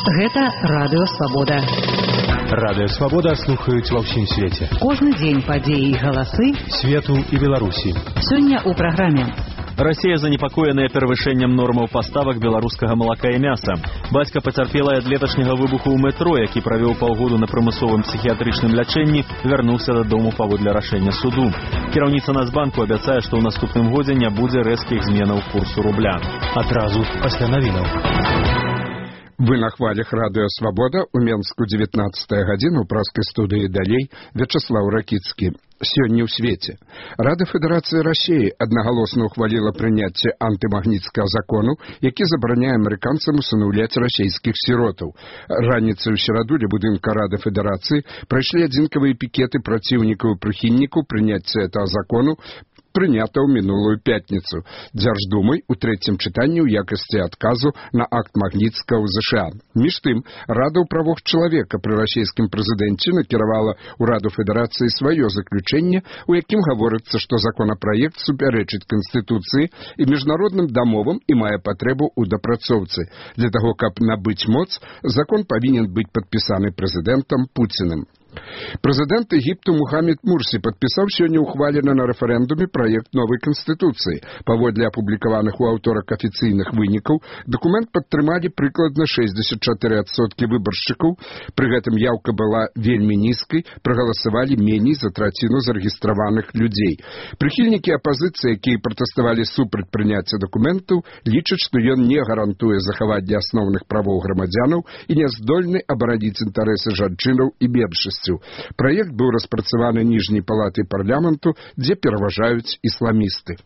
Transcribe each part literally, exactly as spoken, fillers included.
Гэта Радыё Свабода. Радыё Свабода слухаюць ва ўсім свеце. Кожны дзень падзеі і галасы свету і Беларусі. Сёння ў праграме. Расія занепакоеная перавышэннем нормаў паставак беларускага малака і мяса. Бацька пацярпелай ад леташняга выбуху ў метро, які правёў паўгоду на прымусовым псіхіятрычным лячэнні, вярнуўся дадому паводле рашэння суду. Кіраўніца Нацбанку абяцае, што ў наступным годзе не будзе рэзкіх зменаў курсу рубля. Адразу пасля навінаў. Вы на хвалях Радыё Свабода, у Менску дзевятнаццатая гадзіна, у праскай студыі далей Вячаслаў Ракіцкі. Сёння ў свеце. Рада Федэрацыі Расіі аднагалосна ухваліла прыняцце антымагніцкага закону, які забараняе амерыканцам усынаўляць расійскіх сіротаў. Раніцай у сераду ля будынка Рады Федэрацыі прайшлі адзінкавыя пікеты праціўнікаў і прыхільнікаў прыняцця этого закону, прынята ў мінулую пятніцу Дзярждумай у трэцім чытанні ў якасці адказу на акт Магніцкага ў ЗША. Між тым, Рада ў правах чалавека пры расійскім прэзідэнце накіравала ў Раду Федэрацыі сваё заключэнне, у якім гаворыцца, што законапраект супярэчыць Канстытуцыі і міжнародным дамовам і мае патрэбу ў дапрацоўцы. Для таго, каб набыць моц, закон павінен быць падпісаны прэзідэнтам Пуціным. Прэзідэнт Егіпту Мухаммед Мурсі падпісаў сёння ухвалены на рэферэндуме праект новай канстытуцыі. Паводле апублікаваных у аўторак афіцыйных вынікаў, дакумент падтрымалі прыкладна шэсцьдзесят чатыры адсоткі выбаршчыкаў, пры гэтым яўка была вельмі нізкай, прагаласавалі меней за траціну зарэгістраваных людзей. Прыхільнікі апазіцыі, якія пратэставалі супраць прыняцця дакументаў, лічаць, што ён не гарантуе захаванне асноўных правоў грамадзянаў і не здольны абараніць інтарэсы жанчынаў і меншасцяў. Праект быў распрацаваны ніжняй палатай парламенту, дзе пераважаюць ісламісты.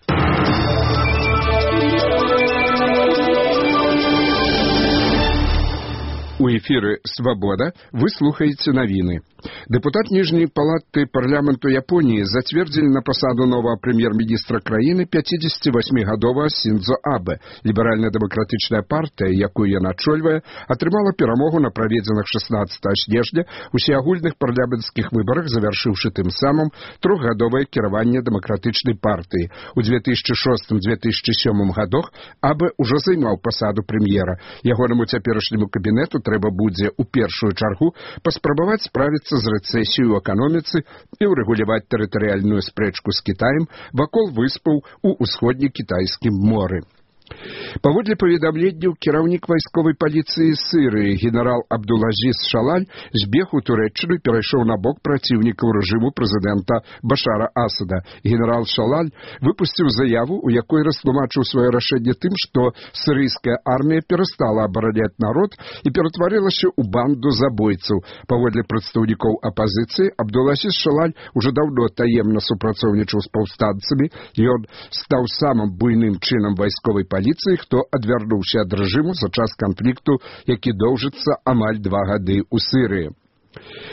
У эфіры «Свабода» вы слухаеце навіны. Дэпутат ніжняй палаты парламенту Японіі зацвердзілі на пасаду новага прэм'ер-міністра краіны пяцідзесяцівасьмігадовага Сіндзо Абэ. Ліберальна-дэмакратычная партыя, якую ён ачольвае, атрымала перамогу на праведзеных шаснаццатага снежня усеагульных парламенцкіх выбарах, завяршыўшы тым самым трохгадовае кіраванне дэмакратычнай партыі. У дзве тысячы шостым - дзве тысячы сёмым гадах Абэ ўжо займаў пасаду прэм'ера. Ягонаму цяперашняму кабінету трэба будзе ў першую чаргу паспрабаваць справіцца з рэцэсіяй у эканоміцы і ўрэгуляваць тэрытарыяльную спрэчку з Кітаем вакол выспаў у ўсходне-кітайскім моры. Паводле паведамленняў, кіраўнік вайсковай паліцыі Сірыі генерал Абдулазіз Шалаль збег у Турэччыну і перайшоў на бок праціўнікаў рэжыму прэзідэнта Башара Асада. Генерал Шалаль выпусціў заяву, у якой растлумачыў сваё рашэнне тым, што сірыйская армія перастала абараняць народ і ператварылася ў банду забойцаў. Паводле прадстаўнікоў апазіцыі, Абдулазіз Шалаль ужо даўно таемна супрацоўнічаў з паўстанцамі, ён стаў самым буйным чынам вайсковай паліцыі, хто адвярнуўся ад рэжыму за час канфлікту, які доўжыцца амаль два гады ў Сірыі.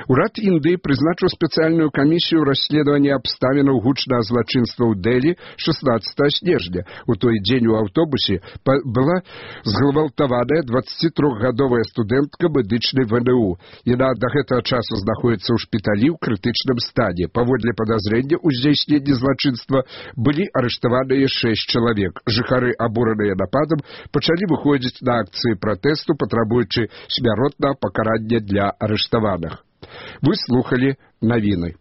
Урад Індыі прызначыў спецыяльную камісію расследавання абставінаў гучнага злачынства ў Дэлі шаснаццатага снежня. У той дзень у аўтобусе была згвалтаваная дваццацітрохгадовая студэнтка медычнай вэ эн у. Яна да гэтага часу знаходзіцца ў шпіталі ў крытычным стане. Паводле падазрення ў здзяйсненні злачынства былі арыштаваныя шэсць чалавек. Жыхары, абураныя нападам, пачалі выходзіць на акцыі пратэсту, патрабуючы смяротнага пакарання для арыштаваных. Вы слухали навіны.